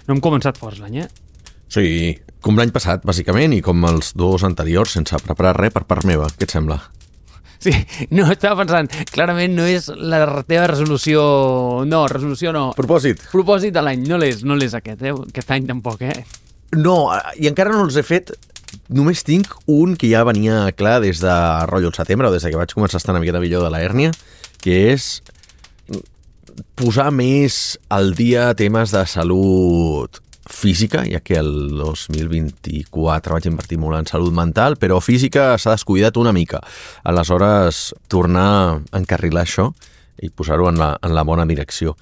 No hem començat forts l'any, Sí, com l'any passat, bàsicament, i com els 2 anteriors, sense preparar res per part meva. Què et sembla? Sí, no, estava pensant, clarament no és la teva resolució... No, resolució no. Propòsit. Propòsit de l'any, no l'és aquest, Aquest any tampoc, No, i encara no els he fet. Només tinc un que ja venia clar des de rotllo el setembre, o des que vaig començar a estar una miqueta millor de la hèrnia, que és posar més al dia temes de salut física, ja que el 2024 vaig invertir molt en salut mental, però física s'ha descuidat una mica. Aleshores, tornar a encarrilar això i posar-ho en la bona direcció.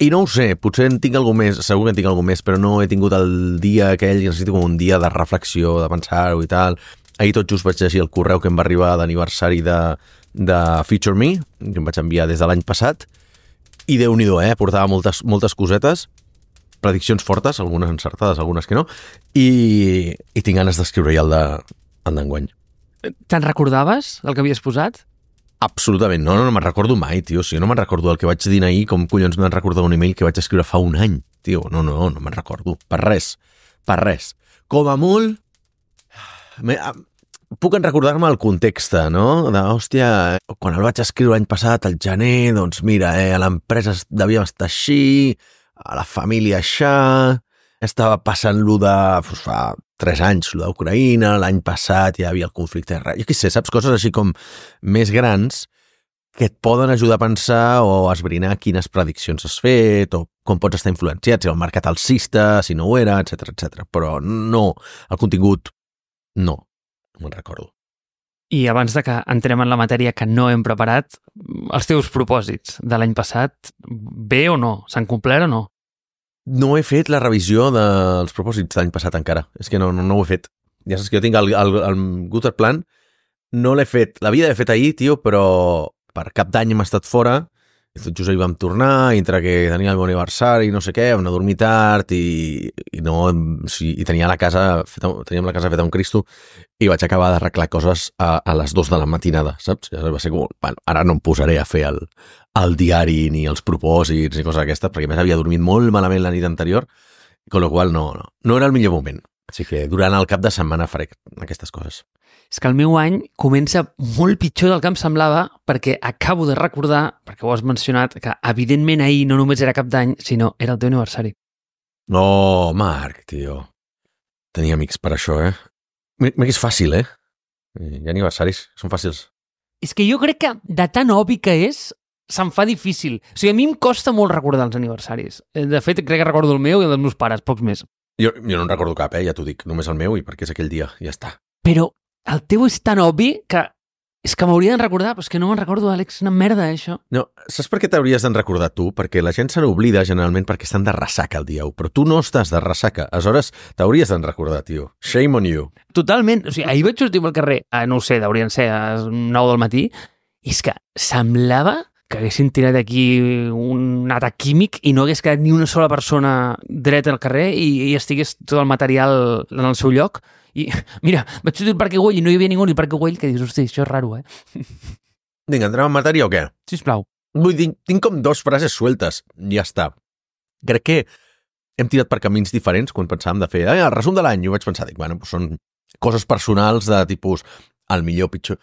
I no ho sé, potser en tinc algú més, segur que en tinc algú més, però no he tingut el dia aquell, necessito com un dia de reflexió, de pensar-ho i tal. Ahir tot just vaig llegir el correu que em va arribar d'aniversari de Feature Me, que em vaig enviar des de l'any passat, i Déu-n'hi-do, portava moltes cosetes, prediccions fortes, algunes encertades, algunes que no, i tinc ganes d'escriure-hi el d'enguany. Te'n recordaves del que havies posat? Absolutament, no me'n recordo mai, tio. Si jo no me'n recordo el que vaig dir ahir, com collons me'n recordo un email que vaig escriure fa un any, tio. No me'n recordo. Per res. Com a molt, puc recordar-me el context, no? Hòstia, quan el vaig escriure l'any passat, al gener, doncs mira, a l'empresa devíem estar així, a la família això, estava passant-lo fa 3 anys, lo d'Ucraïna, l'any passat hi havia el conflicte. Jo què sé, saps? Coses així com més grans que et poden ajudar a pensar o a esbrinar quines prediccions has fet o com pots estar influenciat, si el mercat alcista, si no ho era, etc. Però no, el contingut no me'n recordo. I abans de que entrem en la matèria que no hem preparat, els teus propòsits de l'any passat, bé o no? S'han complert o no? No he fet la revisió dels propòsits de l'any passat encara. És que no ho he fet. Ja saps que jo tinc el Gutter Plan, no l'he fet. L'havia d'haver fet ahir, tio, però per cap d'any hem estat fora, i tot just ahir vam tornar, i entre que tenia el meu aniversari, no sé què, vam anar a dormir tard, i teníem la casa feta un Cristo, i vaig acabar d'arreglar coses a les 2 de la matinada, saps? Va ser com, bueno, ara no em posaré a fer el diari ni els propòsits ni coses d'aquestes, perquè més havia dormit molt malament la nit anterior, con lo qual no era el millor moment. Així que durant el cap de setmana faré aquestes coses. És que el meu any comença molt pitjor del que em semblava perquè acabo de recordar, perquè ho has mencionat, que evidentment ahir no només era cap d'any, sinó era el teu aniversari. No, Marc, tio. Tenia amics per això, Mira que és fàcil, Hi ha aniversaris, són fàcils. És que jo crec que de tan obvi que és, se'm fa difícil. O sigui, a mi em costa molt recordar els aniversaris. De fet, crec que recordo el meu i el dels meus pares, pocs més. Jo no en recordo cap, ja t'ho dic, només el meu i perquè és aquell dia, ja està. Però el teu és tan obvi que és que m'hauria de recordar, però és que no me'n recordo, Àlex, una merda, això. No, saps per què t'hauries d'en recordar tu? Perquè la gent se n'oblida generalment perquè estan de ressaca el dia 1, però tu no estàs de ressaca, aleshores t'hauries d'en recordar, tio. Shame on you. Totalment, o sigui, ahir vaig sortir pel carrer, no ho sé, deurien ser a 9 del matí, i és que semblava que haguessin tirat aquí un atac químic i no hagués quedat ni una sola persona dreta al carrer i estigués tot el material en el seu lloc. I mira, vaig sortir al Parc Güell i no hi havia ningú al Parc Güell, que dius, hosti, això és raro, Vinga, entrem en matèria o què? Sisplau. Vull dir, tinc com 2 frases sueltes, ja està. Crec que hem tirat per camins diferents quan pensàvem de fer el resum de l'any, i ho vaig pensar, dic, bueno, són coses personals de tipus el millor pitjor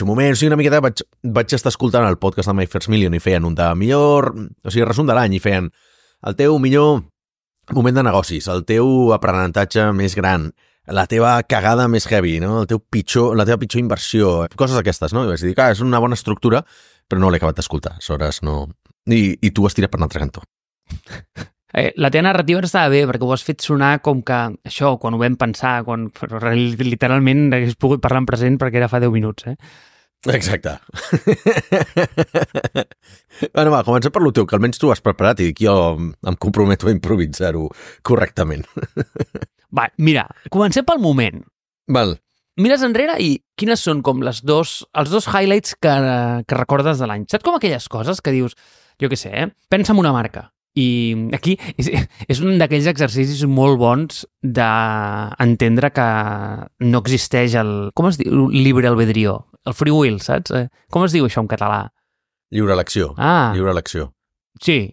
moment, o sigui, una miqueta vaig estar escoltant el podcast de My First Million i feien un de millor, o sigui, resum de l'any, i feien el teu millor moment de negocis, el teu aprenentatge més gran, la teva cagada més heavy, no? La teva pitjor inversió, coses d'aquestes, no? I vaig dir, és una bona estructura, però no l'he acabat d'escoltar, aleshores no... I tu has tirat per un altre cantó. La teva narrativa estava bé, perquè ho has fet sonar com que això, quan ho vam pensar, però literalment hagués pogut parlar en present perquè era fa 10 minuts, Exacte. Bueno, va, comencem per lo teu, que almenys tu has preparat i jo em comprometo a improvisar-ho correctament. Va, mira, comencem pel moment. Val. Mires enrere i quines són com els dos highlights que recordes de l'any? Saps com aquelles coses que dius, jo què sé, pensa en una marca. I aquí és un d'aquells exercicis molt bons d'entendre que no existeix com es diu? Libre albedrío. El free will, saps? Com es diu això en català? Lliure elecció. Ah. Lliure elecció. Sí.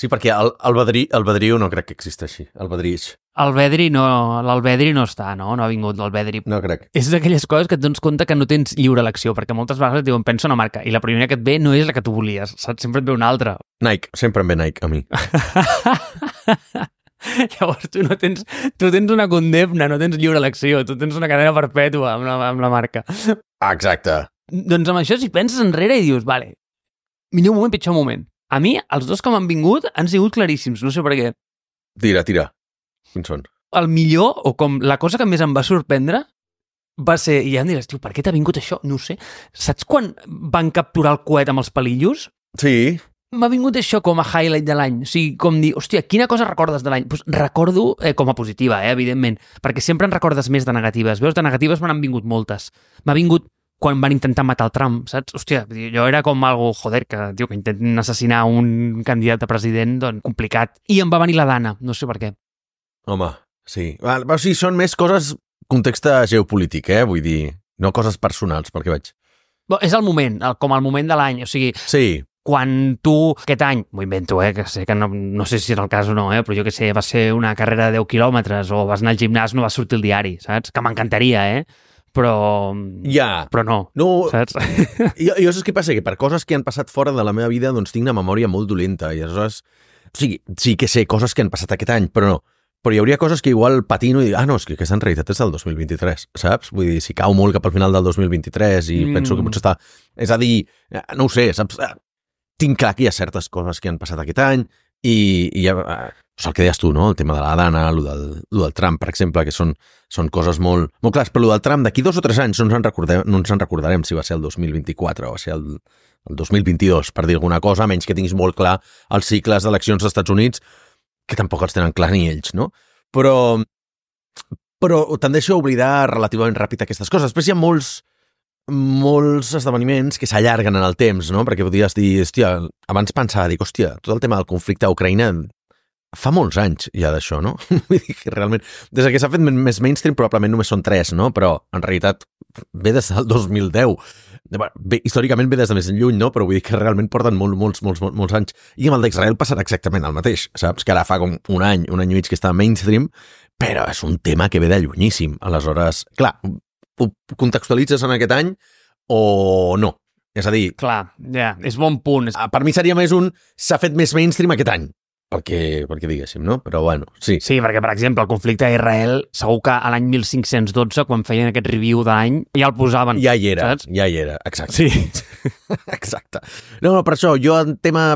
Sí, perquè el Badriu no crec que existeixi, el Badrix. L'Albedri no està, no? No ha vingut l'Albedri. No crec. És d'aquelles coses que et dones compte que no tens lliure elecció, perquè moltes vegades et diuen pensa una marca, i la primera que et ve no és la que tu volies, saps? Sempre et ve una altra. Nike, sempre em ve Nike a mi. Llavors tu tens una condemna, no tens lliure elecció, tu tens una cadena perpètua amb la marca. Exacte. Doncs amb això, si penses enrere i dius, vale, millor moment, pitjor moment. A mi, els dos que m'han vingut han sigut claríssims, no sé per què. Tira. Quins són? El millor, o com la cosa que més em va sorprendre, va ser, i ja em diràs, tio, per què t'ha vingut això? No ho sé. Saps quan van capturar el coet amb els palillos? Sí. M'ha vingut això com a highlight de l'any. O sigui, com dir, hòstia, quina cosa recordes de l'any? Pues recordo com a positiva, evidentment, perquè sempre en recordes més de negatives. Veus, de negatives me n'han vingut moltes. M'ha vingut quan van intentar matar el Trump, saps? Hòstia, jo era com algo, joder, que intenten assassinar un candidat a president, doncs, complicat. I em va venir la Dana, no sé per què. Home, sí. O sigui, són més coses context geopolític, Vull dir, no coses personals, perquè vaig... És el moment, com el moment de l'any, o sigui... Sí. Quan tu, aquest any, m'ho invento, que sé que no sé si és el cas o no, però jo que sé, va ser una carrera de 10 quilòmetres o vas anar al gimnàs, no va sortir el diari, saps? Que m'encantaria, però... Ja. Però no, saps? Jo saps què passa? Que per coses que han passat fora de la meva vida, doncs tinc una memòria molt dolenta i aleshores... O sigui, sí que sé coses que han passat aquest any, però no. Però hi hauria coses que igual patino i dic, no, és que aquesta en realitat és del 2023, saps? Vull dir, si cau molt cap al final del 2023 i penso que potser està... És a dir, no ho sé, saps? Tinc clar que hi ha certes coses que han passat aquest any i ja... el que deies tu, no? El tema de la Dana, el del Trump, per exemple, que són coses molt clares, però el del Trump d'aquí 2 o 3 anys no ens en recordarem si va ser el 2024 o va ser el 2022, per dir alguna cosa, a menys que tinguis molt clar els cicles d'eleccions als Estats Units, que tampoc els tenen clar ni ells, no? Però tendeixo a oblidar relativament ràpid aquestes coses. Després hi ha molts esdeveniments que s'allarguen en el temps, no? Perquè podries dir, hòstia, abans pensava, dic, hòstia, tot el tema del conflicte a Ucraïna fa molts anys ja d'això, no? Vull dir que realment, des que s'ha fet més mainstream probablement només són 3, no? Però en realitat ve des del 2010. Bé, històricament ve des de més lluny, no? Però vull dir que realment porten molts anys. I amb el d'Israel passarà exactament el mateix, saps? Que ara fa com un any i mig que està mainstream, però és un tema que ve de llunyíssim. Aleshores, clar, ho contextualitzes en aquest any o no? És a dir... Clar, ja, és bon punt. Per mi seria més s'ha fet més mainstream aquest any. Perquè diguéssim, no? Però bueno, sí. Sí, perquè, per exemple, el conflicte a Israel, segur que a l'any 1512, quan feien aquest review d'any, ja el posaven. Ja hi era, saps? exacte. Sí. Exacte. No, per això, jo en tema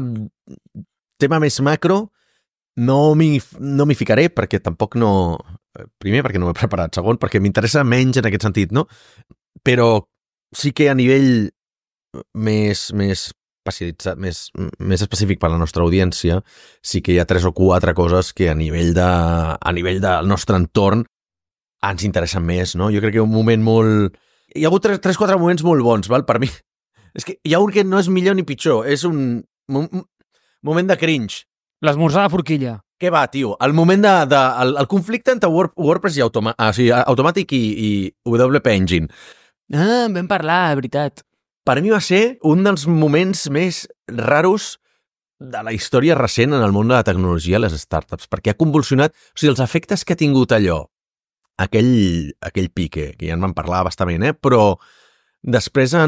més macro no m'hi ficaré, perquè tampoc no... Primer, perquè no m'he preparat. Segon, perquè m'interessa menys en aquest sentit, no? Però sí que a nivell més especialitzat, més específic per a la nostra audiència, sí que hi ha 3 o 4 coses que a nivell del nostre entorn ens interessen més, no? Jo crec que un moment molt... Hi ha hagut 3-4 moments molt bons, val? Per mi. És que hi ha un que no és millor ni pitjor, és un moment de cringe. L'esmorzar de forquilla. Què va, tio? El moment el conflicte entre WordPress i Automatic i WP Engine. Vam parlar, de veritat. Per mi va ser un dels moments més raros de la història recent en el món de la tecnologia i les startups, perquè ha convulsionat... O sigui, els efectes que ha tingut allò, aquell pique, que ja en vam parlar bastament, però després ha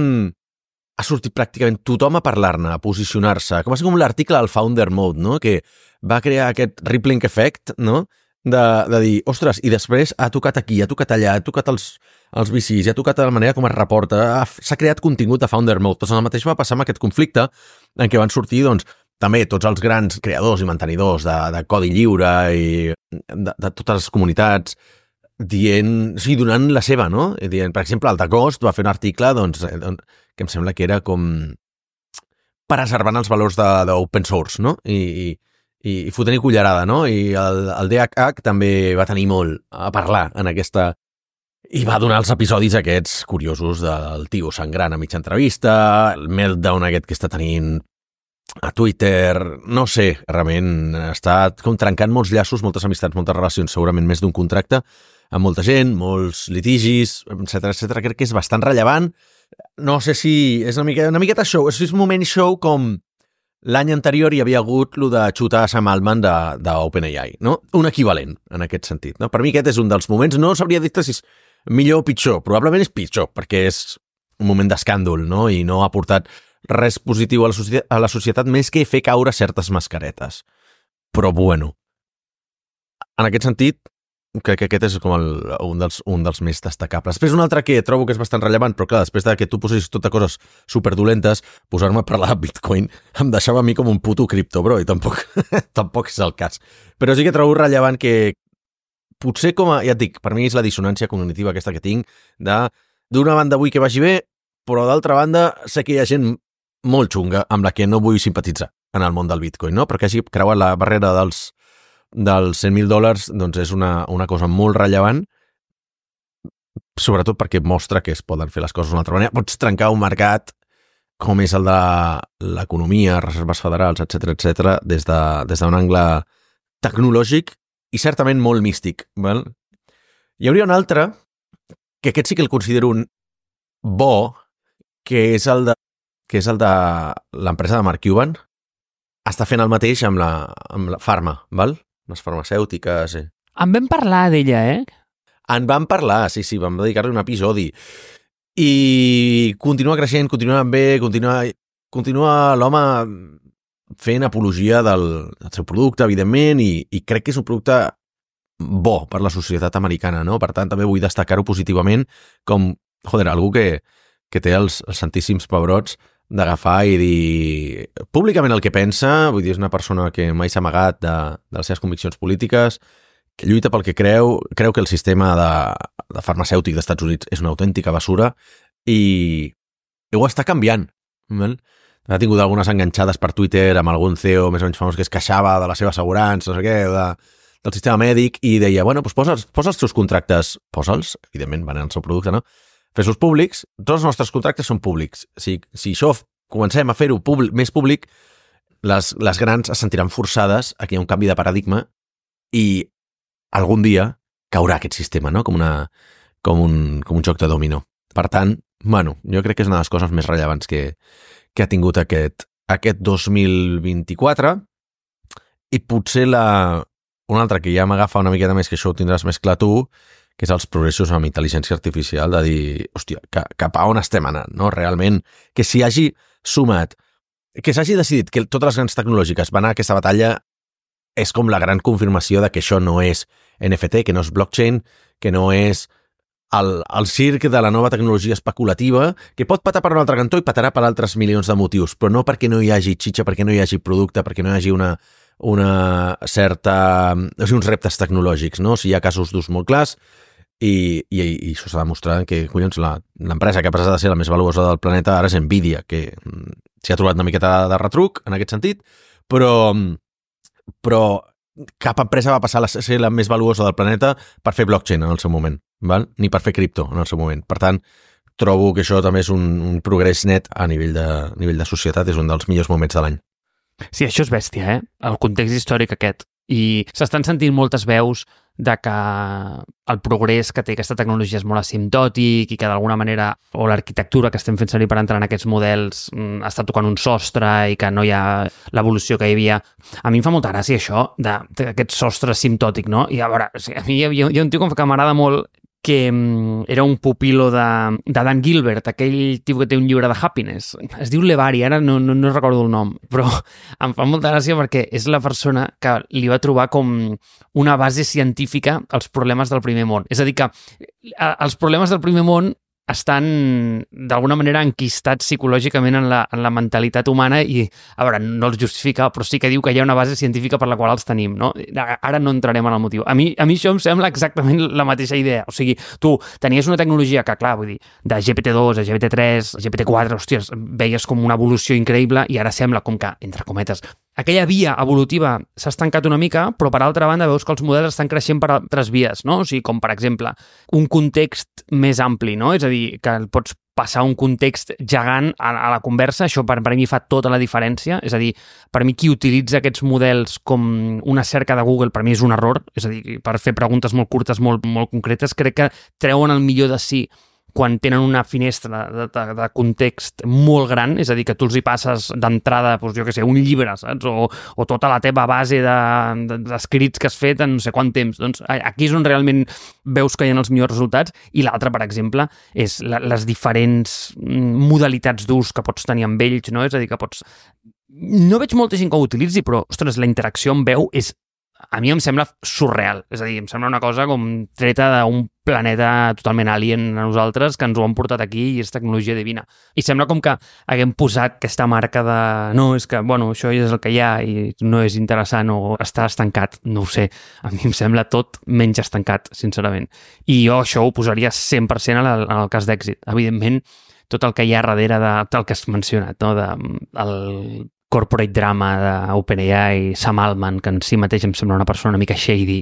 sortit pràcticament tothom a parlar-ne, a posicionar-se, com va ser com l'article del Founder Mode, no? Que va crear aquest rippling effect, no? De dir, ostres, i després ha tocat aquí, ha tocat allà, ha tocat els VCs, ha tocat de la manera com es reporta, s'ha creat contingut de Founder Mode. Doncs el mateix va passar amb aquest conflicte en què van sortir, doncs, també tots els grans creadors i mantenidors de codi lliure i de totes les comunitats donant la seva, no? Dient, per exemple, el Dacost va fer un article, doncs, que em sembla que era com preservant els valors d'open source, no? I fotent-hi cullerada, no? I el DHH també va tenir molt a parlar en aquesta... I va donar els episodis aquests curiosos del tio sangrant a mitja entrevista, el meltdown aquest que està tenint a Twitter, no sé, realment està com trencant molts llaços, moltes amistats, moltes relacions, segurament més d'un contracte, amb molta gent, molts litigis, etcètera. Crec que és bastant rellevant. No sé si és una miqueta show, és un moment show com l'any anterior hi havia hagut lo de xutar a Sam Altman d'OpenAI, no? Un equivalent, en aquest sentit. No? Per mi aquest és un dels moments, no sabria dir si és millor o pitjor, probablement és pitjor, perquè és un moment d'escàndol, no? I no ha portat res positiu a la societat més que fer caure certes mascaretes. Però bueno, en aquest sentit, crec que aquest és com un dels més destacables. Després un altre que trobo que és bastant rellevant, però clar, després que tu posessis tot de coses superdolentes, posar-me a parlar de Bitcoin em deixava a mi com un puto cripto, bro, i tampoc és el cas. Però sí que trobo rellevant que potser ja et dic, per mi és la dissonància cognitiva aquesta que tinc d'una banda vull que vagi bé, però d'altra banda sé que hi ha gent molt xunga amb la que no vull simpatitzar en el món del Bitcoin, no? Però que hagi creuat la barrera dels $100,000 doncs és una cosa molt rellevant, sobretot perquè mostra que es poden fer les coses d'una altra manera. Pots trencar un mercat com és el de l'economia, reserves federals, etc des d'un angle tecnològic i certament molt místic. Val? Hi hauria un altre, que aquest sí que el considero un bo, que és el de l'empresa de Mark Cuban. Està fent el mateix amb la farma, val? Les farmacèutiques. En vam parlar d'ella, En vam parlar, sí, vam dedicar-li un episodi. I continua creixent, continua bé, continua l'home fent apologia del seu producte, evidentment, i crec que és un producte bo per la societat americana, no? Per tant, també vull destacar-ho positivament com, algú que té els santíssims pebrots d'agafar i dir públicament el que pensa, vull dir, és una persona que mai s'ha amagat de les seves conviccions polítiques, que lluita pel que creu que el sistema de farmacèutic dels Estats Units és una autèntica basura i ho està canviant. Ha tingut algunes enganxades per Twitter amb algun CEO més o menys famós que es queixava de la seva assegurança, no sé què, del sistema mèdic, i deia, bueno, doncs posa els teus contractes, posa'ls, evidentment, van en el seu producte, no? Fes-los públics, tots els nostres contractes són públics. Si això comencem a fer-ho més públic, les grans es sentiran forçades a que hi ha un canvi de paradigma i algun dia caurà aquest sistema, no? Com un joc de dominó. Per tant, jo crec que és una de les coses més rellevants que ha tingut aquest 2024, i potser una altra que ja m'agafa una miqueta més, que això ho tindràs més clar tu, que és els progressos amb intel·ligència artificial, de dir, hòstia, cap a on estem anant, no? Realment, que s'hi hagi sumat, que s'hagi decidit que totes les grans tecnològiques van a aquesta batalla és com la gran confirmació de que això no és NFT, que no és blockchain, que no és el circ de la nova tecnologia especulativa, que pot patar per un altre cantó i patarà per altres milions de motius, però no perquè no hi hagi xitxa, perquè no hi hagi producte, perquè no hi hagi uns reptes tecnològics, no? Si hi ha casos d'ús molt clars, i això s'ha demostrat que, collons, l'empresa que ha passat a ser la més valuosa del planeta ara és Nvidia, que s'hi ha trobat una miqueta de retruc en aquest sentit, però cap empresa va passar a ser la més valuosa del planeta per fer blockchain en el seu moment, val? Ni per fer cripto en el seu moment. Per tant, trobo que això també és un progrés net a nivell de societat, és un dels millors moments de l'any. Sí, això és bèstia, el context històric aquest. I s'estan sentint moltes veus de que el progrés que té aquesta tecnologia és molt asimptòtic i que d'alguna manera, o l'arquitectura que estem fent servir per entrar en aquests models està tocant un sostre i que no hi ha l'evolució que hi havia. A mi em fa molta gràcia això, d'aquest sostre asimptòtic, no? I a veure, a mi hi ha un tio que m'agrada molt, que era un pupilo de Dan Gilbert, aquell tio que té un llibre de Happiness. Es diu Levari, ara no recordo el nom, però em fa molta gràcia perquè és la persona que li va trobar com una base científica als problemes del primer món. És a dir, que els problemes del primer món estan d'alguna manera enquistats psicològicament en la mentalitat humana i, a veure, no els justifica, però sí que diu que hi ha una base científica per la qual els tenim, no? Ara no entrarem en el motiu. A mi això em sembla exactament la mateixa idea. O sigui, tu tenies una tecnologia que, clar, vull dir, de GPT-2 a GPT-3, a GPT-4, hòsties, veies com una evolució increïble i ara sembla com que, entre cometes, aquella via evolutiva s'ha estancat una mica, però per altra banda veus que els models estan creixent per altres vies, no? O sigui, com per exemple, un context més ampli, no? És a dir, que pots passar un context gegant a la conversa, això per mi fa tota la diferència, és a dir, per mi qui utilitza aquests models com una cerca de Google, per mi és un error, és a dir, per fer preguntes molt curtes, molt concretes, crec que treuen el millor de si quan tenen una finestra de context molt gran, és a dir, que tu els hi passes d'entrada, doncs, jo què sé, un llibre, saps? O tota la teva base d'escrits que has fet en no sé quant temps. Doncs aquí és on realment veus que hi ha els millors resultats, i l'altre, per exemple, és les diferents modalitats d'ús que pots tenir amb ells, no? És a dir, que pots... No veig molta gent que ho utilitzi, però, ostres, la interacció amb veu és... A mi em sembla surreal, és a dir, em sembla una cosa com treta d'un planeta totalment alien a nosaltres, que ens ho han portat aquí i és tecnologia divina. I sembla com que haguem posat aquesta marca de no, és que, bueno, això és el que hi ha i no és interessant o està estancat, no ho sé. A mi em sembla tot menys estancat, sincerament. I jo això ho posaria 100% en el cas d'èxit. Evidentment, tot el que hi ha darrere del que has mencionat, no? El corporate drama d'OpenAI, Sam Altman, que en si mateix em sembla una persona una mica shady.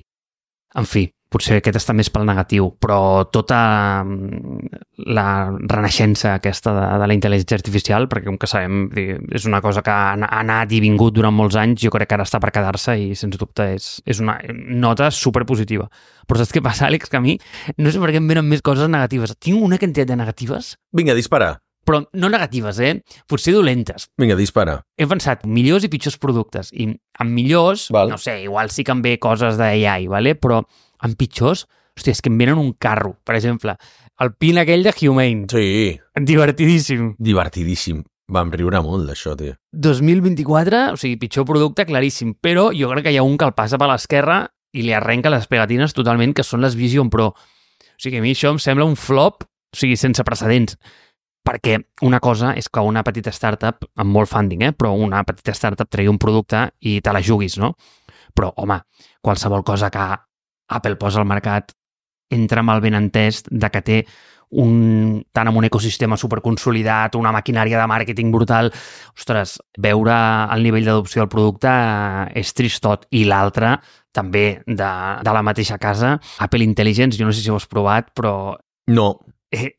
En fi, potser aquest està més pel negatiu, però tota la renaixença aquesta de la intel·ligència artificial, perquè com que sabem, és una cosa que ha anat i vingut durant molts anys, jo crec que ara està per quedar-se i, sens dubte, és una nota superpositiva. Però saps què passa, Àlex? Que a mi no sé per què em venen més coses negatives. Tinc una quantitat de negatives. Vinga, dispara. Però no negatives, potser dolentes. Vinga, dispara. He pensat millors i pitjors productes. I amb millors, no sé, igual sí que em ve coses d'AI, ¿vale? Però amb pitjors, hòstia, és que em venen un carro, per exemple. El pin aquell de Humane. Sí. Divertidíssim. Divertidíssim. Vam riure molt d'això, tio. 2024, o sigui, pitjor producte, claríssim. Però jo crec que hi ha un que el passa per l'esquerra i li arrenca les pegatines totalment, que són les Vision Pro. O sigui, a mi això em sembla un flop, o sigui, sense precedents. Perquè una cosa és que una petita startup, amb molt funding, però una petita startup tregui un producte i te la juguis, no? Però, home, qualsevol cosa que Apple posa al mercat entra amb el benentès de que té tant amb un ecosistema superconsolidat, una maquinària de màrqueting brutal. Ostres, veure el nivell d'adopció del producte és tristot. I l'altre, també, de la mateixa casa, Apple Intelligence, jo no sé si ho has provat, però... No.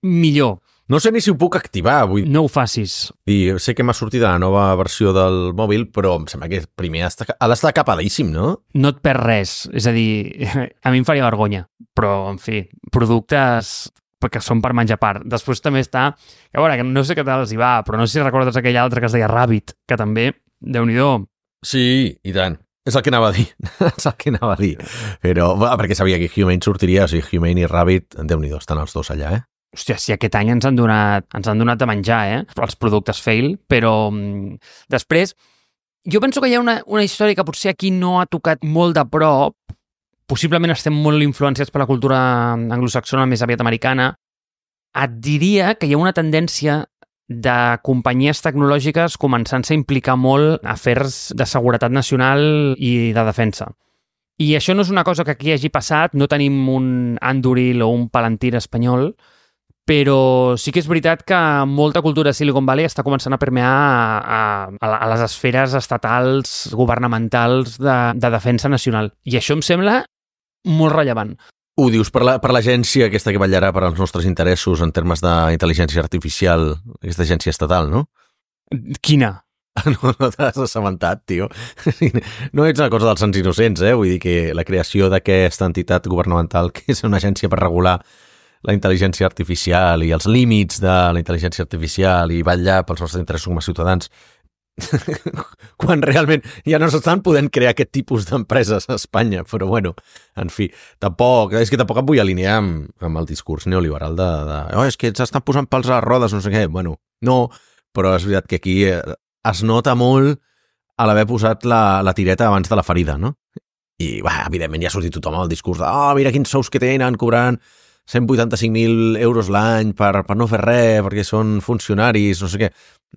Millor. No sé ni si ho puc activar avui. No ho facis. I sé que m'ha sortit la nova versió del mòbil, però em sembla que primer ha d'estar capadíssim, no? No et perds res. És a dir, a mi em faria vergonya. Però, en fi, productes que són per menjar part. Després també està... Que, veure, no sé què tal els hi va, però no sé si recordes aquell altre que es deia Rabbit, que també, Déu-n'hi-do. Sí, i tant. És el que anava a dir. És el que anava a dir. Però, perquè sabia que Humane sortiria, o sigui, Humane i Rabbit, Déu-n'hi-do, estan els dos allà, Hòstia, si aquest any ens han donat a menjar, els productes fail, però després, jo penso que hi ha una història que potser aquí no ha tocat molt de prop, possiblement estem molt influenciats per la cultura anglosaxona, més aviat americana. Et diria que hi ha una tendència de companyies tecnològiques començant-se a implicar molt a afers de seguretat nacional i de defensa. I això no és una cosa que aquí hagi passat, no tenim un Anduril o un Palantir espanyol, però sí que és veritat que molta cultura de Silicon Valley està començant a permear a les esferes estatals, governamentals de defensa nacional. I això em sembla molt rellevant. Ho dius per l'agència aquesta que vetllarà per als nostres interessos en termes d'intel·ligència artificial, aquesta agència estatal, no? Quina? No t'has assabentat, tio. No ets una cosa dels sants innocents, Vull dir que la creació d'aquesta entitat governamental, que és una agència per regular la intel·ligència artificial i els límits de la intel·ligència artificial i vetllar pels nostres interessos com a ciutadans, quan realment ja no s'estan podent crear aquest tipus d'empreses a Espanya, però bueno, en fi, tampoc em vull alinear amb el discurs neoliberal és que s'estan posant pals a les rodes, no sé què. Bueno, no, però és veritat que aquí es nota molt a l'haver posat la tireta abans de la ferida, no? I, evidentment, ja ha sortit tothom al discurs de mira quins sous que tenen, cobrant 185.000 euros l'any per no fer res, perquè són funcionaris, no sé què.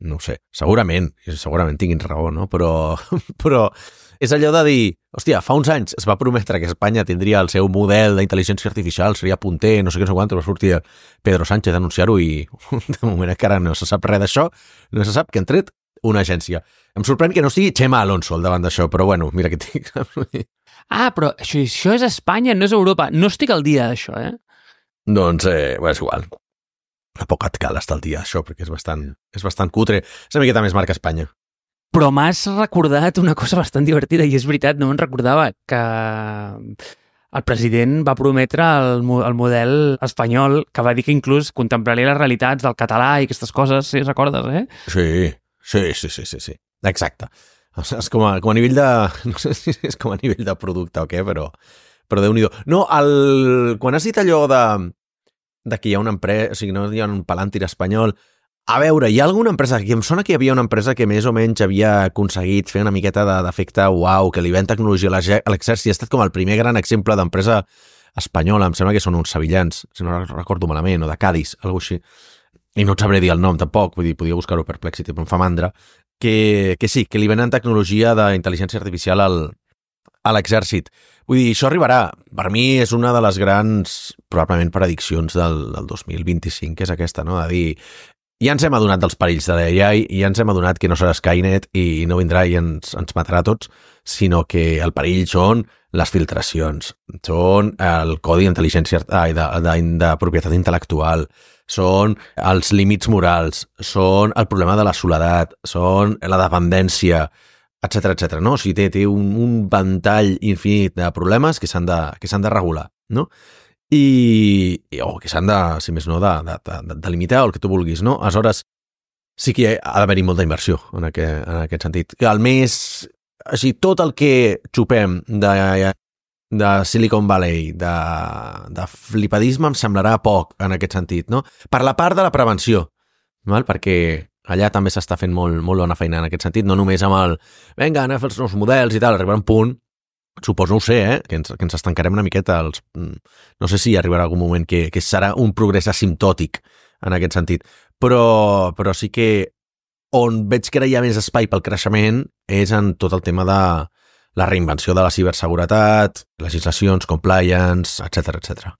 No ho sé, segurament tinguin raó, no? Però és allò de dir, hòstia, fa uns anys es va prometre que Espanya tindria el seu model d'intel·ligència artificial, seria punter, no sé què, no sé quant, va sortir Pedro Sánchez a anunciar-ho i de moment encara no se sap res d'això, no se sap que han tret una agència. Em sorprèn que no estigui Xema Alonso al davant d'això, però bueno, mira que tinc... Però això és Espanya, no és Europa. No estic al dia d'això, Doncs, és igual. Tampoc et cal estar al dia això, perquè és bastant cutre. És una miqueta més marca Espanya. Però m'has recordat una cosa bastant divertida, i és veritat, no me'n recordava, que el president va prometre el model espanyol, que va dir que inclús contemplaria les realitats del català i aquestes coses, sí, recordes, eh? Sí. Exacte. O sigui, és com a nivell de... No sé si és com a nivell de producte o què, però Déu-n'hi-do. No, quan has dit allò de que hi ha una empresa, o sigui, no hi ha un palàntir espanyol, a veure, hi ha alguna empresa, que em sona que hi havia una empresa que més o menys havia aconseguit fer una miqueta d'efecte uau, que li ven tecnologia a l'exèrcit, ha estat com el primer gran exemple d'empresa espanyola, em sembla que són uns sevillans, si no recordo malament, o de Cádiz, alguna així, i no et sabré dir el nom tampoc, vull dir, podia buscar-ho per Perplexity, però em fa mandra, que sí, que li venen tecnologia d'intel·ligència artificial a l'exèrcit. Vull dir, això arribarà. Per mi és una de les grans, probablement, prediccions del 2025, que és aquesta, no? De dir, ja ens hem adonat dels perills de l'AI, ja ens hem adonat que no serà Skynet i no vindrà i ens matarà a tots, sinó que el perill són les filtracions, són el codi d'intel·ligència, de propietat intel·lectual, són els límits morals, són el problema de la soledat, són la dependència, etc. No? O sigui, té un ventall infinit de problemes que s'han de regular, no? O que s'han de, si més no, de limitar o el que tu vulguis, no? Aleshores, sí que ha d'haver-hi molta inversió en aquest sentit. Que així, tot el que xupem de Silicon Valley, de flipadisme, em semblarà poc en aquest sentit, no? Per la part de la prevenció, val? Perquè allà també s'està fent molt bona feina en aquest sentit, no només amb vinga, anem a fer els nous models i tal, arribarà un punt, suposo, no ho sé, que ens estancarem una miqueta. No sé si arribarà algun moment que serà un progrés asimptòtic en aquest sentit, però sí que on veig que ara hi ha més espai pel creixement és en tot el tema de la reinvenció de la ciberseguretat, legislacions, compliance, etc.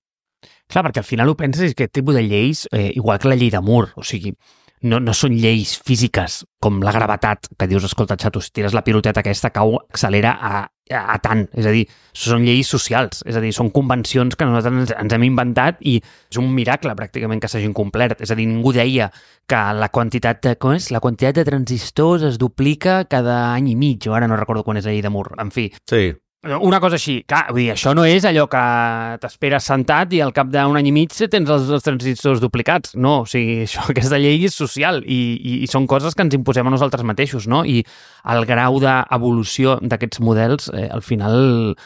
Clar, perquè al final ho penses és que aquest tipus de lleis, igual que la llei de Moore, o sigui, no són lleis físiques com la gravetat, que dius, escolta, xato, si tires la piloteta aquesta cau, accelera a tant. És a dir, són lleis socials, és a dir, són convencions que nosaltres ens hem inventat i és un miracle pràcticament que s'hagin complert. És a dir, ningú deia que la quantitat de transistors es duplica cada any i mig, o ara no recordo quan és la llei de Moore, en fi. Sí. Una cosa així, clar, vull dir, això no és allò que t'esperes sentat i al cap d'un any i mig tens els transistors duplicats. No, o sigui, aquesta llei és social i són coses que ens imposem a nosaltres mateixos, no? I el grau d'evolució d'aquests models, al final,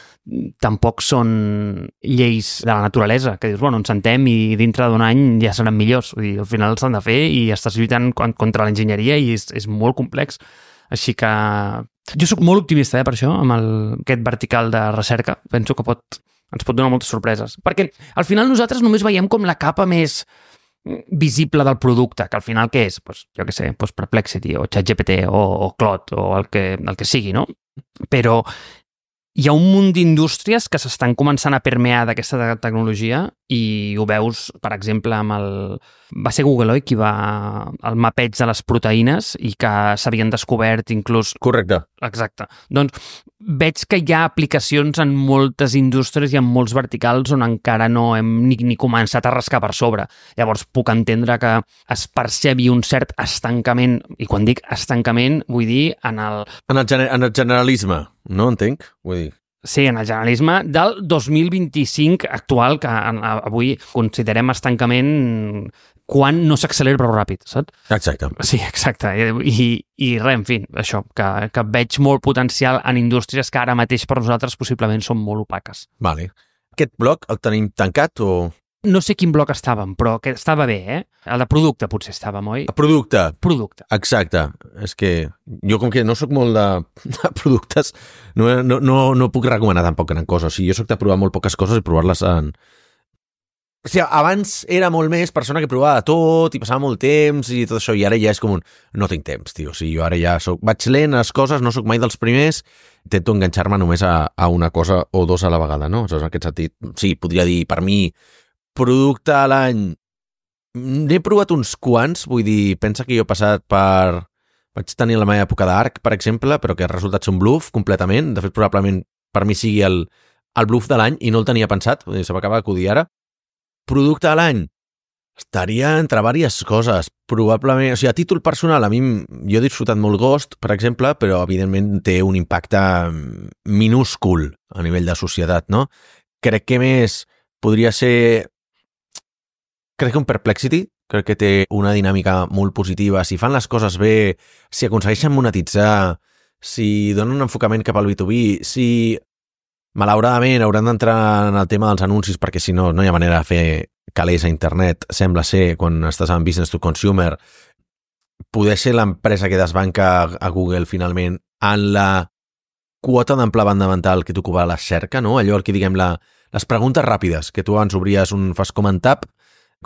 tampoc són lleis de la naturalesa, que dius, bueno, ens sentem i dintre d'un any ja seran millors. Vull dir, al final s'han de fer i estàs lluitant contra l'enginyeria i és molt complex. Així que jo soc molt optimista per això, amb aquest vertical de recerca. Penso que ens pot donar moltes sorpreses. Perquè al final nosaltres només veiem com la capa més visible del producte, que al final què és? Pues, jo què sé, Perplexity o ChatGPT o Claude o el que sigui, no? Però hi ha un munt d'indústries que s'estan començant a permear d'aquesta tecnologia i ho veus, per exemple, va ser Google, oi, qui va el mapeig de les proteïnes i que s'havien descobert inclús... Correcte. Exacte. Doncs veig que hi ha aplicacions en moltes indústries i en molts verticals on encara no hem ni començat a rascar per sobre. Llavors puc entendre que es percebi un cert estancament, i quan dic estancament vull dir en el generalisme, no entenc? Vull dir... Sí, en el generalisme del 2025 actual, que avui considerem estancament quan no s'accelera prou ràpid, saps? Exacte. Sí, exacte. I res, en fi, això, que veig molt potencial en indústries que ara mateix per nosaltres possiblement són molt opaques. Vale. Aquest bloc el tenim tancat o...? No sé quin bloc estàvem, però que estava bé, eh? El de producte potser estàvem, oi? Producte. Exacte. És que jo com que no sóc molt de productes, no puc recomanar tampoc gran cosa. O sigui, jo soc de provar molt poques coses i provar-les en... O sigui, abans era molt més persona que provava de tot i passava molt temps i tot això, i ara ja és com no tinc temps, tio. O sigui, jo ara ja vaig lent les coses, no sóc mai dels primers, intento enganxar-me només a una cosa o dos a la vegada, no? Aleshores, en aquest sentit, sí, podria dir, per mi, producte a l'any, n'he provat uns quants, vull dir, pensa que jo he passat per... Vaig tenir la meva època d'Arc, per exemple, però que ha resultat ser un bluff completament. De fet, probablement per mi sigui el bluff de l'any i no el tenia pensat, vull dir, se m'acaba d'acudir ara. Producte a l'any estaria entre diverses coses, probablement, o sigui, a títol personal, a mi jo he disfrutat molt Ghost, per exemple, però evidentment té un impacte minúscul a nivell de societat, no? crec que més podria ser... Crec que un Perplexity, crec que té una dinàmica molt positiva. Si fan les coses bé, si aconsegueixen monetitzar, si donen un enfocament cap al B2B, si malauradament hauran d'entrar en el tema dels anuncis perquè si no, no hi ha manera de fer calés a internet, sembla ser, quan estàs en business to consumer, poder ser l'empresa que desbanca a Google finalment en la quota d'ample banda mental que t'ocupa la cerca, no? Allò que diguem les preguntes ràpides, que tu abans obries fas comentar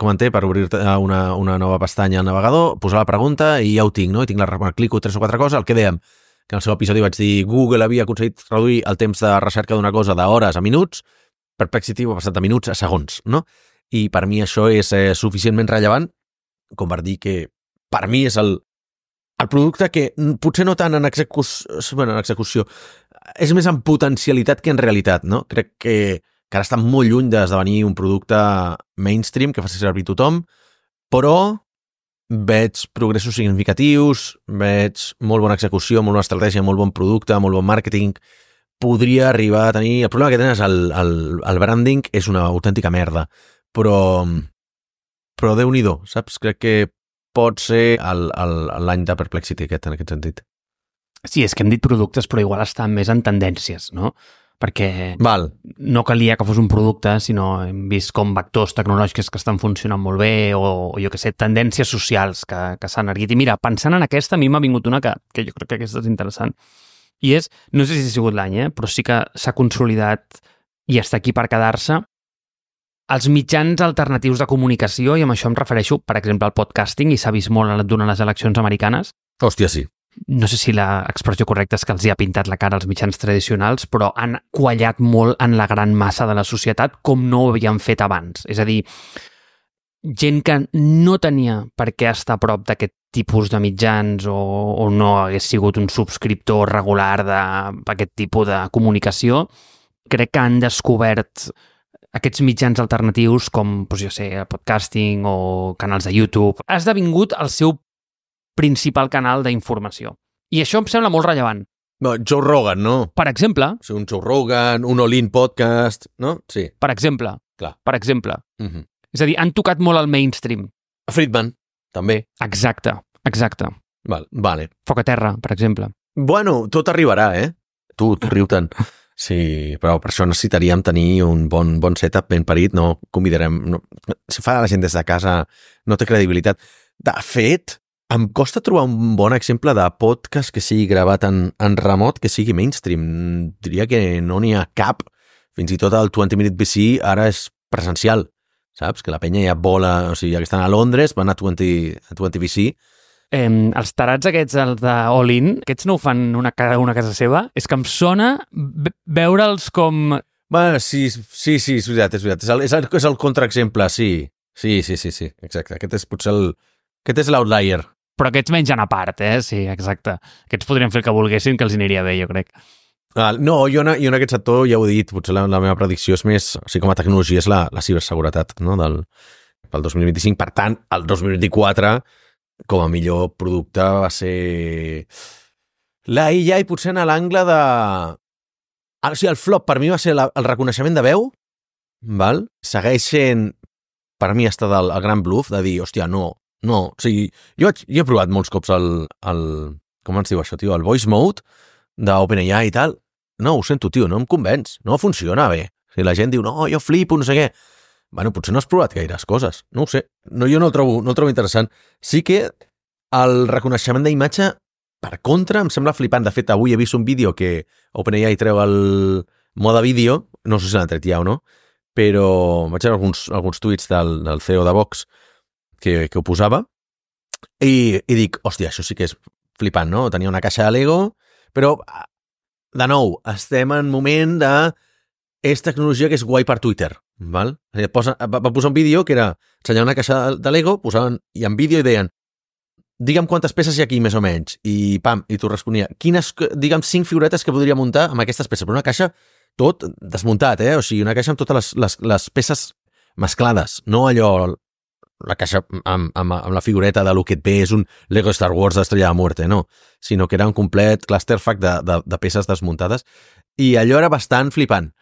per obrir-te una nova pestanya al navegador, posar la pregunta i ja ho tinc, no? I tinc clico 3 o 4 coses, el que dèiem, que en el seu episodi vaig dir Google havia aconseguit reduir el temps de recerca d'una cosa d'hores a minuts, Perplexity ho ha passat de minuts a segons, no? I per mi això és suficientment rellevant com per dir que per mi és el producte que potser no tant en execució, és més en potencialitat que en realitat, no? Crec que ara està molt lluny d'esdevenir un producte mainstream que faci servir tothom, però veig progressos significatius, veig molt bona execució, molt bona estratègia, molt bon producte, molt bon màrqueting. Podria arribar a tenir... El problema que tenen és el branding és una autèntica merda, però Déu-n'hi-do, saps? Crec que pot ser l'any de Perplexity en aquest sentit. Sí, és que hem dit productes, però igual estan més en tendències, no? Perquè no calia que fos un producte, sinó hem vist com vectors tecnològics que estan funcionant molt bé o jo què sé, tendències socials que s'han erguit. I mira, pensant en aquesta, a mi m'ha vingut una que jo crec que aquesta és interessant. I és, no sé si ha sigut l'any, però sí que s'ha consolidat i està aquí per quedar-se, els mitjans alternatius de comunicació, i amb això em refereixo, per exemple, al podcasting, i s'ha vist molt durant les eleccions americanes. Hòstia, sí. No sé si l'expressió correcta és que els hi ha pintat la cara als mitjans tradicionals, però han quallat molt en la gran massa de la societat com no ho havien fet abans. És a dir, gent que no tenia per què estar a prop d'aquest tipus de mitjans o no hagués sigut un subscriptor regular d'aquest tipus de comunicació, crec que han descobert aquests mitjans alternatius com, doncs jo sé, podcasting o canals de YouTube. Ha esdevingut el seu principal canal d'informació. I això em sembla molt rellevant. No, Joe Rogan, no? Per exemple... Sí, un Joe Rogan, un All-In Podcast, no? Sí. Per exemple. Clar. Per exemple. És a dir, han tocat molt el mainstream. Friedman, també. Exacte. Vale. Foc a terra, per exemple. Bueno, tot arribarà, Tu riu-te'n. Sí, però per això necessitaríem tenir un bon setup ben parit, no convidarem... No, si fa la gent des de casa, no té credibilitat. De fet, em costa trobar un bon exemple de podcast que sigui gravat en remot, que sigui mainstream. Diria que no n'hi ha cap. Fins i tot el 20 Minute VC ara és presencial, saps? Que la penya ja vola... O sigui, ja que estan a Londres, van a 20 VC. Els tarats aquests, els de All-In, aquests no ho fan cada una a casa seva? És que em sona veure'ls com... Bueno, sí, és veritat. És el contraexemple, sí. Sí, exacte. Aquest és potser aquest és l'outlier. Però aquests mengen a part, Sí, exacte. Aquests podrien fer el que volguessin, que els aniria bé, jo crec. No, jo en aquest sector ja ho he dit, potser la meva predicció és més, o sigui, com a tecnologia és la ciberseguretat, no? Pel 2025. Per tant, el 2024, com a millor producte, va ser la IA i potser en l'angle de... O sigui, el flop per mi va ser el reconeixement de veu, val? Segueix sent, per mi, està el gran bluff de dir, hòstia, no, o sigui, jo he provat molts cops el com ens diu això, tio? El voice mode d'OpenAI i tal. No, ho sento, tio, no em convenç. No funciona bé. O sigui, la gent diu, no, jo flipo, no sé què. Bueno, potser no has provat gaires coses. No ho sé. No, jo no el trobo interessant. Sí que el reconeixement d'imatge, per contra, em sembla flipant. De fet, avui he vist un vídeo que OpenAI treu el mode vídeo, no sé si l'han tret ja o no, però vaig veure alguns tuits del CEO de Vox que ho posava, i dic, hòstia, això sí que és flipant, no? Tenia una caixa de Lego, però, de nou, estem en moment de... És tecnologia que és guai per Twitter, val? Va posar un vídeo que era ensenyar una caixa de Lego, posaven i en vídeo i deien, digue'm quantes peces hi ha aquí, més o menys, i pam, i tu responia, quines, digue'm, 5 figuretes que podria muntar amb aquestes peces, però una caixa tot desmuntat, o sigui, una caixa amb totes les peces mesclades, no allò... La caixa amb la figureta de lo que et ve és un Lego Star Wars d'Estrella de Muerte, no, sinó que era un complet clusterfuck de peces desmuntades, i allò era bastant flipant.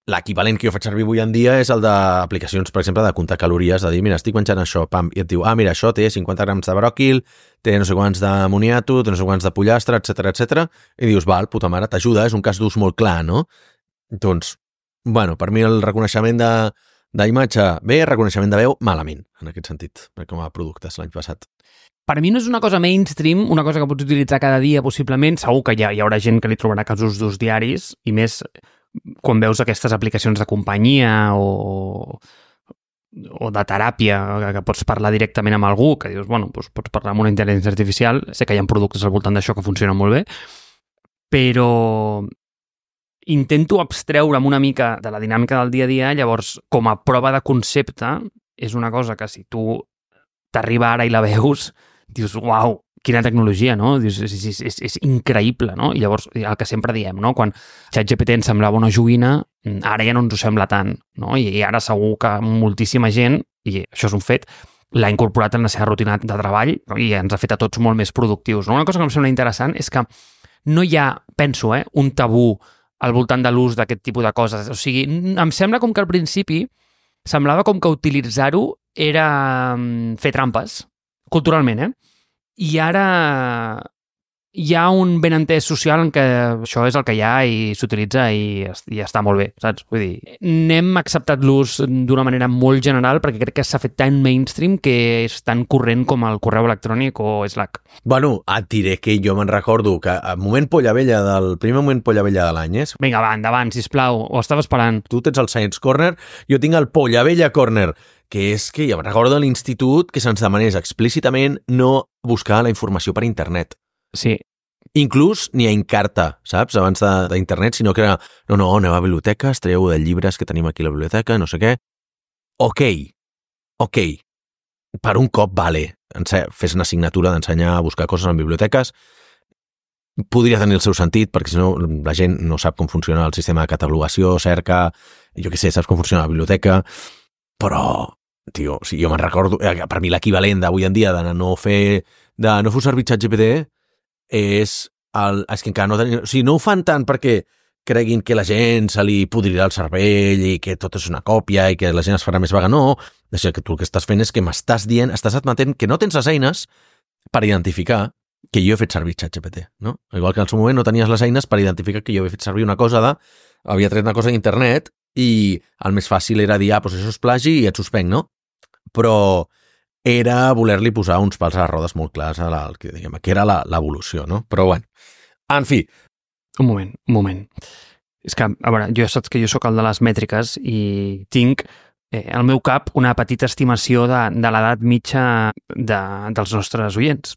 l'equivalent que jo faig servir avui en dia és el d'aplicacions, per exemple, de comptar calories, de dir, mira, estic menjant això, pam, i et diu, mira, això té 50 grams de bròquil, té no sé quants de moniato, té no sé quants de pollastre, etc, i dius, val, puta mare, t'ajuda, és un cas d'ús molt clar, no? Doncs, bueno, per mi el reconeixement d'imatge bé, reconeixement de veu malament, en aquest sentit, com a productes l'any passat. Per mi no és una cosa mainstream, una cosa que pots utilitzar cada dia, possiblement. Segur que hi haurà gent que li trobarà casos d'ús diaris, i més quan veus aquestes aplicacions de companyia o de teràpia, que pots parlar directament amb algú, que dius, bueno, doncs pots parlar amb una intel·ligència artificial, sé que hi ha productes al voltant d'això que funcionen molt bé, però intento abstreure'm una mica de la dinàmica del dia a dia, llavors, com a prova de concepte, és una cosa que si tu t'arriba ara i la veus, dius, uau, quina tecnologia, no? Dius, és increïble, no? I llavors, el que sempre diem, no? Quan ChatGPT ens semblava una joguina, ara ja no ens ho sembla tant, no? I ara segur que moltíssima gent, i això és un fet, l'ha incorporat en la seva rutina de treball, no? I ens ha fet a tots molt més productius, no? Una cosa que em sembla interessant és que no hi ha, penso, un tabú al voltant de l'ús d'aquest tipus de coses. O sigui, em sembla com que al principi semblava com que utilitzar-ho era fer trampes, culturalment, I ara hi ha un benentès social en què això és el que hi ha i s'utilitza i està molt bé, saps? Vull dir, n'hem acceptat l'ús d'una manera molt general perquè crec que s'ha fet tan mainstream que és tan corrent com el correu electrònic o Slack. Bueno, et diré que jo me'n recordo que el moment polla vella primer moment polla vella de l'any és... Vinga, va, endavant, sisplau, ho estava esperant. Tu tens el Science Corner, jo tinc el Polla Vella Corner, que és que ja me'n recordo de l'institut que se'ns demanés explícitament no buscar la informació per internet. Sí. Inclús ni a Encarta, saps? Abans d'internet, sinó que era no, aneu a biblioteques, traieu de llibres que tenim aquí a la biblioteca, no sé què. Ok. Per un cop, vale. Fes una assignatura d'ensenyar a buscar coses en biblioteques. Podria tenir el seu sentit, perquè si no la gent no sap com funciona el sistema de catalogació, cerca, jo què sé, saps com funciona la biblioteca, però, tio, si jo me'n recordo, per mi l'equivalent d'avui en dia de no fer servir ChatGPT és que encara no tenen... O sigui, no ho fan tant perquè creguin que la gent se li podrirà el cervell i que tot és una còpia i que la gent es farà més vaga. No, això que tu el que estàs fent és que m'estàs dient, estàs admetent que no tens les eines per identificar que jo he fet servir ChatGPT, no? Igual que en el seu moment no tenies les eines per identificar que jo he fet servir una cosa havia tret una cosa d'internet i el més fàcil era dir, doncs això és plagi i et suspenc, no? Però era voler-li posar uns pals a les rodes molt clars que era l'evolució, no? Però bueno, en fi. Un moment. És que, a veure, saps que jo sóc el de les mètriques i tinc al meu cap una petita estimació de l'edat mitja dels nostres oients.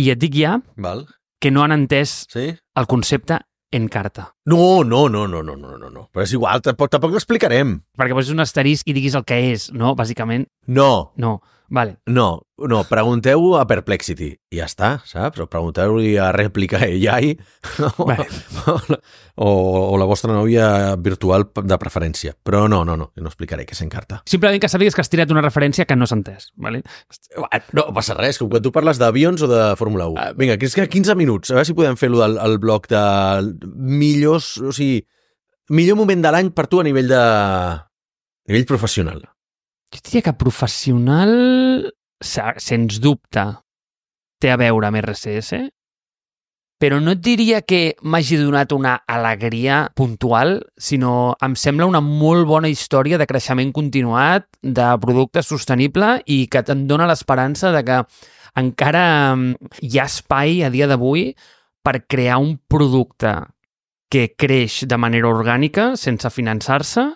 I et dic ja que no han entès el concepte Encarta. No. Però és igual, tampoc l'explicarem. Perquè poses un asterisc i diguis el que és, no? Bàsicament. No. Vale. No, pregunteu a Perplexity i ja està, saps? O pregunteu-li a Replica AI vale. o la vostra nòvia virtual de preferència. Però no explicaré què és Encarta. Simplement que sàpigues que has tirat una referència que no s'ha entès, vale? No passa res, com quan tu parles d'avions o de Fórmula 1. Vinga, que és que 15 minuts, a veure si podem fer-lo del bloc de millors, o sigui, millor moment de l'any per tu a nivell professional. Jo diria que professional, sens dubte, té a veure amb RCS, però no et diria que m'hagi donat una alegria puntual, sinó em sembla una molt bona història de creixement continuat, de producte sostenible i que te'n dona l'esperança de que encara hi ha espai a dia d'avui per crear un producte que creix de manera orgànica, sense finançar-se,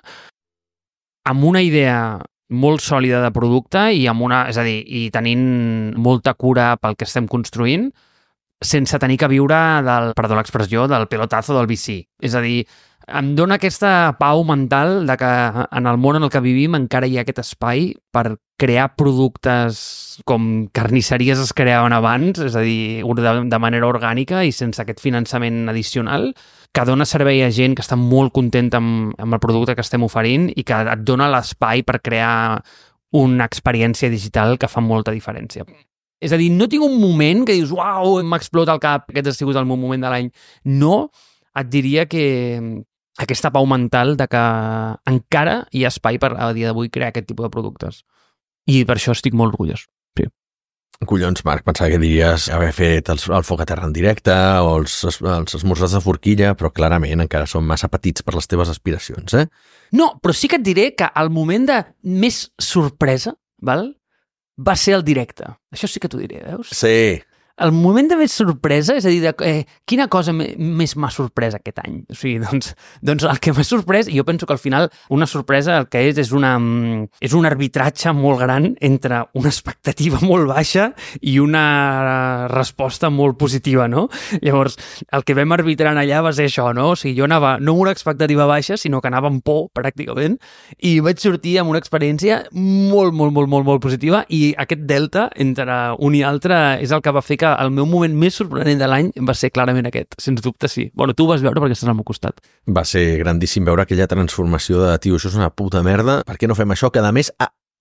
amb una idea molt sòlida de producte i i tenint molta cura pel que estem construint, sense tenir que viure perdó l'expressió, del pelotazo del VC. És a dir, em dona aquesta pau mental de que en el món en el que vivim encara hi ha aquest espai per crear productes com carnisseries es creaven abans, és a dir, de manera orgànica i sense aquest finançament addicional, que dona servei a gent que està molt contenta amb el producte que estem oferint i que et dona l'espai per crear una experiència digital que fa molta diferència. És a dir, no tinc un moment que dius, uau, m'explota el cap, aquest ha sigut el meu moment de l'any. No, et diria que aquesta pau mental de que encara hi ha espai per a dia d'avui crear aquest tipus de productes. I per això estic molt orgullós. Sí. Collons, Marc, pensava que diries haver fet el foc a terra en directe o els esmorzars de forquilla, però clarament encara són massa petits per les teves aspiracions, eh? No, però sí que et diré que el moment de més sorpresa, val? Va ser el directe. Això sí que t'ho diré, veus? Sí. El moment de més sorpresa, és a dir, quina cosa més m'ha sorprès aquest any? O sigui, doncs el que m'ha sorprès, i jo penso que al final una sorpresa el que és un arbitratge molt gran entre una expectativa molt baixa i una resposta molt positiva, no? Llavors, el que vam arbitrar allà va ser això, no? O sigui, jo anava no amb una expectativa baixa, sinó que anava amb por, pràcticament, i vaig sortir amb una experiència molt, molt, molt, molt, molt positiva, i aquest delta entre un i altre és el que va fer que el meu moment més sorprenent de l'any va ser clarament aquest, sens dubte sí. Bueno, tu ho vas veure perquè estàs al meu costat. Va ser grandíssim veure aquella transformació de tio, això és una puta merda, per què no fem això? Que a més,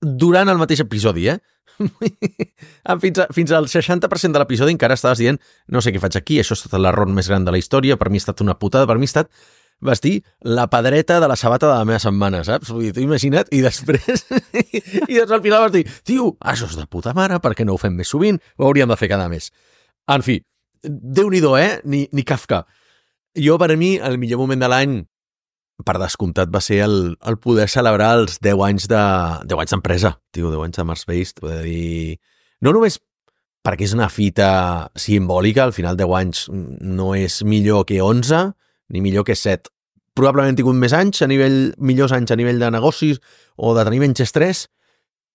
durant el mateix episodi, fins al 60% de l'episodi encara estaves dient no sé què faig aquí, això ha estat l'error més gran de la història, per mi ha estat una putada, per mi ha estat vestir la pedreta de la sabata de la meva setmana, saps? Vull dir, t'ho imagina't, i després al final vas dir, tio, això és de puta mare, per què no ho fem més sovint? Ho hauríem de fer cada mes. En fi, Déu-n'hi-do, ni Kafka. Jo, per mi, el millor moment de l'any, per descomptat, va ser el poder celebrar els 10 anys d'empresa, tio, 10 anys de Mars Based, poder dir... No només perquè és una fita simbòlica, al final 10 anys no és millor que 11, ni millor que 7. Probablement he tingut més anys, millors anys a nivell de negocis o de tenir menys estrès,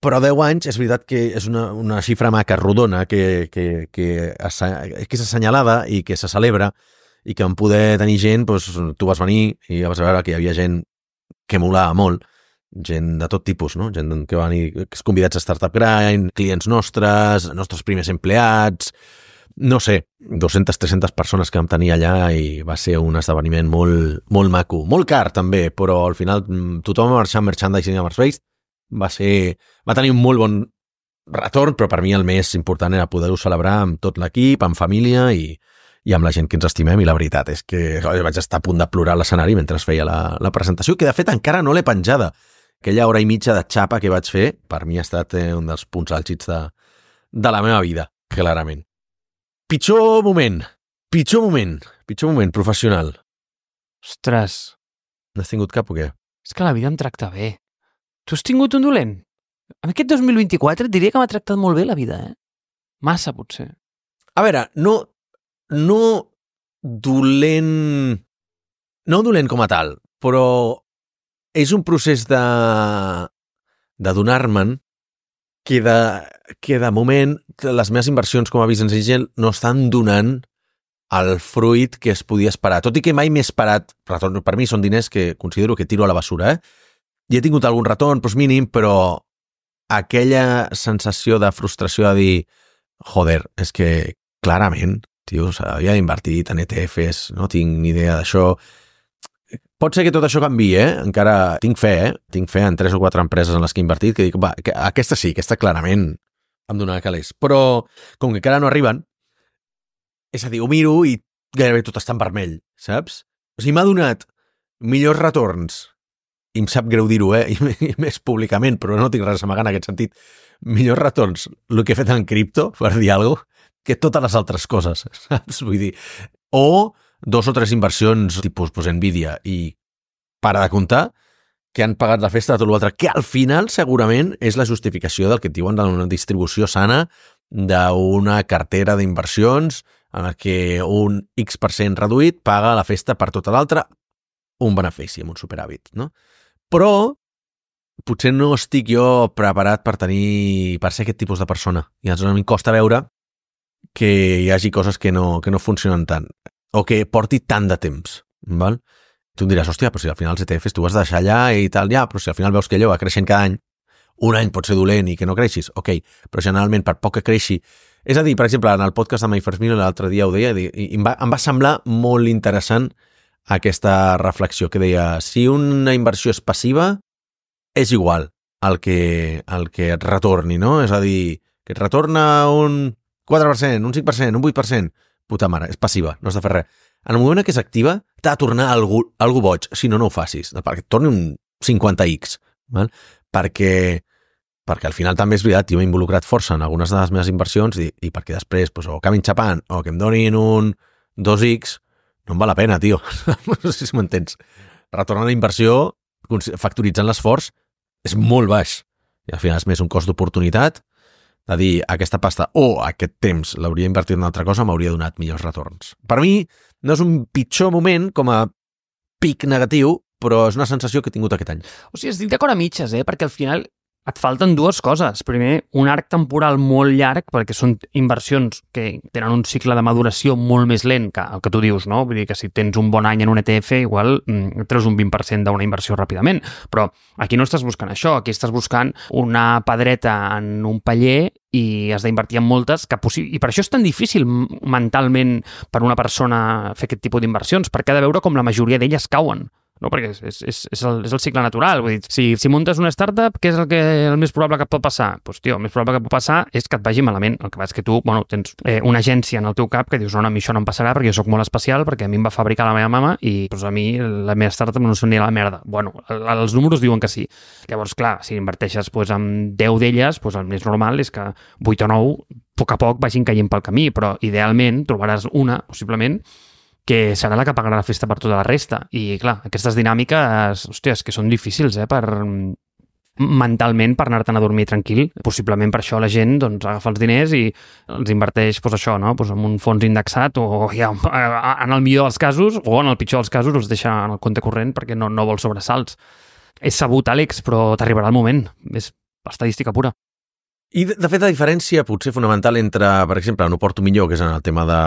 però 10 anys és veritat que és una xifra maca, rodona, que és assenyalada i que se celebra, i que en poder tenir gent, doncs, tu vas venir i vas veure que hi havia gent que molava molt, gent de tot tipus, no? Gent que va venir convidats a Startup Grind, clients nostres primers empleats, no sé, 200-300 persones que vam tenir allà, i va ser un esdeveniment molt, molt maco. Molt car, també, però al final tothom va marxar amb merchandising a Mars Based. Va tenir un molt bon retorn, però per mi el més important era poder-ho celebrar amb tot l'equip, amb família i amb la gent que ens estimem, i la veritat és que vaig estar a punt de plorar a l'escenari mentre es feia la presentació, que de fet encara no l'he penjada. Aquella hora i mitja de xapa que vaig fer, per mi ha estat un dels punts àlgids de la meva vida, clarament. Pitjor moment professional. Ostres. N'has tingut cap o què? És que la vida em tracta bé. Tu has tingut un dolent? En aquest 2024 et diria que m'ha tractat molt bé la vida, Massa, potser. A veure, no dolent com a tal, però és un procés d'adonar-me'n que de moment les meves inversions com a business angel no estan donant el fruit que es podia esperar. Tot i que mai m'he esperat retorn. Per mi són diners que considero que tiro a la basura, I he tingut algun retorn, doncs mínim, però aquella sensació de frustració de dir, joder, és que clarament, tio, s'havia invertit en ETFs, no tinc ni idea d'això. Pot ser que tot això canviï, Encara tinc fe, Tinc fe en 3 o 4 empreses en les que he invertit, que dic, va, aquesta sí, aquesta clarament em donarà calés. Però, com que encara no arriben, és a dir, ho miro i gairebé tot està en vermell, saps? O sigui, m'ha donat millors retorns, i em sap greu dir-ho, i més públicament, però no tinc res a amagar en aquest sentit, millors retorns, el que he fet en cripto, per dir alguna cosa, que totes les altres coses, saps? Vull dir, o 2 o 3 inversions tipus Nvidia i para de comptar, que han pagat la festa de tot l'altre, que al final segurament és la justificació del que et diuen d'una distribució sana d'una cartera d'inversions en la que un X% reduït paga la festa per tota l'altra, un benefici, amb un superàvit, no? Però potser no estic jo preparat per ser aquest tipus de persona. I aleshores a mi em costa veure que hi hagi coses que no funcionen tant, o que porti tant de temps, val? Tu em diràs, hòstia, però si al final els ETFs tu has de deixar allà i tal, ja, però si al final veus que allò va creixent cada any, un any pot ser dolent i que no creixis, ok, però generalment per poc que creixi... És a dir, per exemple, en el podcast de My First Million l'altre dia ho deia, i em va semblar molt interessant aquesta reflexió que deia, si una inversió és passiva, és igual el que et retorni, no? És a dir, que et retorna un 4%, un 5%, un 8%, puta mare, és passiva, no has de fer res. en el moment en què s'activa, t'ha de tornar algú boig, si no, no ho facis, perquè et torni un 50x, val? Perquè al final també és veritat, jo m'he involucrat força en algunes de les meves inversions i perquè després pues, o acabin xapant o que em donin un 2x, no em val la pena, tio. No sé si m'entens. Retornar la inversió, factoritzant l'esforç, és molt baix. I al final és més un cost d'oportunitat de dir, aquesta pasta o aquest temps l'hauria invertit en una altra cosa, m'hauria donat millors retorns. Per mi, no és un pitjor moment com a pic negatiu, però és una sensació que he tingut aquest any. O sigui, estic d'acord a mitges, perquè al final et falten dues coses. Primer, un arc temporal molt llarg, perquè són inversions que tenen un cicle de maduració molt més lent que el que tu dius, no? Vull dir que si tens un bon any en un ETF, igual treus un 20% d'una inversió ràpidament. Però aquí no estàs buscant això, aquí estàs buscant una pedreta en un paller i has d'invertir en moltes, i per això és tan difícil mentalment per una persona fer aquest tipus d'inversions, perquè ha de veure com la majoria d'elles cauen. No, perquè és el cicle natural. Vull dir, si muntes una startup, què és el més probable que pot passar? Doncs, tio, el més probable que pot passar és que et vagi malament. El que passa és que tu, tens una agència en el teu cap que dius, no, a mi això no em passarà perquè jo sóc molt especial, perquè a mi em va fabricar la meva mama i doncs, a mi la meva startup no són ni la merda. Els números diuen que sí. Llavors, clar, si inverteixes en 10 d'elles, el més normal és que 8 o 9, a poc vagin caient pel camí, però idealment trobaràs una, possiblement, que serà la que pagarà la festa per tota la resta. I, clar, aquestes dinàmiques, hòsties, que són difícils, mentalment per anar-te'n a dormir tranquil. Possiblement per això la gent agafa els diners i els inverteix en un fons indexat o ja, en el millor dels casos o en el pitjor dels casos els deixa en el compte corrent perquè no vol sobresalts. És sabut, Àlex, però t'arribarà el moment. És estadística pura. I, de fet, la diferència potser fonamental entre, per exemple, no porto millor, que és en el tema de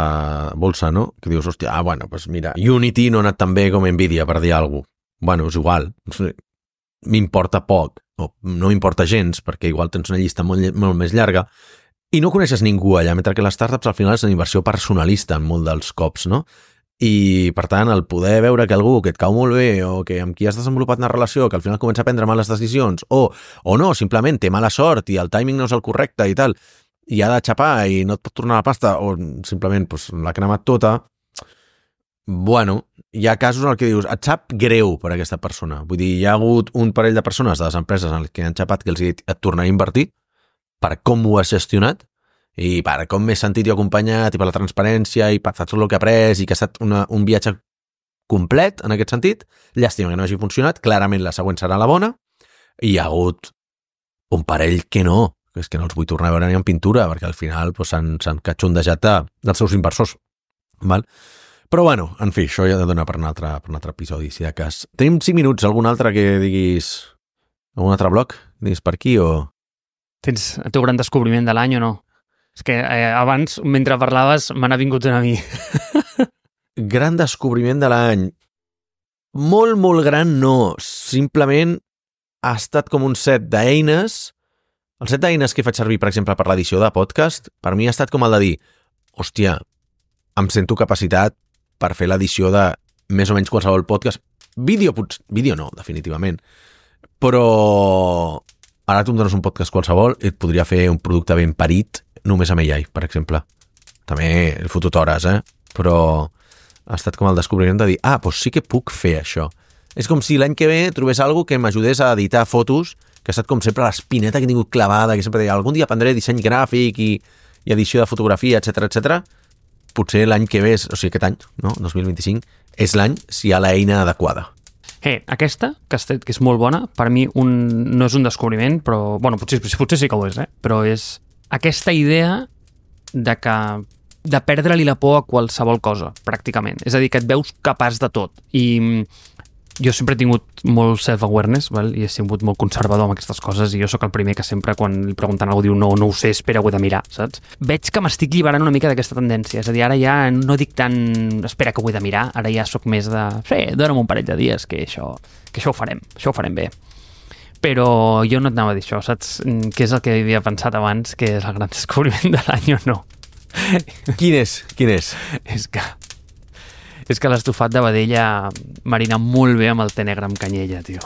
bolsa, no? Que dius, hòstia, mira, Unity no ha anat tan bé com Nvidia, per dir alguna cosa. És igual. M'importa poc, o no m'importa gens, perquè igual tens una llista molt més llarga, i no coneixes ningú allà, mentre que les startups al final és una inversió personalista en molt dels cops, no? I, per tant, el poder veure que algú que et cau molt bé o que amb qui has desenvolupat una relació que al final comença a prendre males decisions o no, simplement té mala sort i el timing no és el correcte i tal, i ha de xapar i no et pot tornar la pasta o simplement l'ha cremat tota, hi ha casos en què dius, et sap greu per aquesta persona. Vull dir, hi ha hagut un parell de persones de les empreses en les que han xapat que els he dit et tornaré a invertir per com ho has gestionat i per com m'he sentit jo acompanyat i per la transparència i per tot el que he après i que ha estat un viatge complet en aquest sentit. Llàstima que no hagi funcionat, clarament la següent serà la bona. I hi ha hagut un parell que no, és que no els vull tornar a veure ni en pintura perquè al final s'han catxondejat dels seus inversors. Val? Però en fi, això ja ha de donar per un altre episodi, si de cas. Tenim 5 minuts, algun altre que diguis, algun altre bloc? Diguis per aquí o... Tens el teu gran descobriment de l'any o no? És que abans, mentre parlaves, me n'ha vingut una a mi. Gran descobriment de l'any. Molt, molt gran no. Simplement ha estat com un set d'eines. El set d'eines que he fet servir, per exemple, per l'edició de podcast, per mi ha estat com el de dir, hòstia, em sento capacitat per fer l'edició de més o menys qualsevol podcast. Vídeo no, definitivament. Però ara tu em dones un podcast qualsevol i et podria fer un producte ben parit només amb AI, per exemple. També he fotut hores, però ha estat com el descobriment de dir, doncs sí que puc fer això. És com si l'any que ve trobés alguna que m'ajudés a editar fotos, que ha estat com sempre l'espineta que he tingut clavada, que sempre deia, algun dia aprendré disseny gràfic i edició de fotografia, etc. Potser l'any que ve, o sigui, aquest any, no? 2025, és l'any si hi ha l'eina adequada. Aquesta, que és molt bona, per mi no és un descobriment, però, potser sí que ho és, però és aquesta idea de perdre-li la por a qualsevol cosa, pràcticament. És a dir, que et veus capaç de tot. I jo sempre he tingut molt self-awareness, i he sigut molt conservador amb aquestes coses, i jo sóc el primer que sempre, quan li pregunten algú, diu no ho sé, espera, ho he de mirar, saps? Veig que m'estic lliberant una mica d'aquesta tendència. És a dir, ara ja no dic tant espera que ho he de mirar, ara ja sóc més de dona'm un parell de dies, que això ho farem bé. Però jo no et anava a dir això, saps? Què és el que havia pensat abans, que és el gran descobriment de l'any o no? Quin és? És que l'estofat de vedella marina molt bé amb el te negre amb canyella, tio.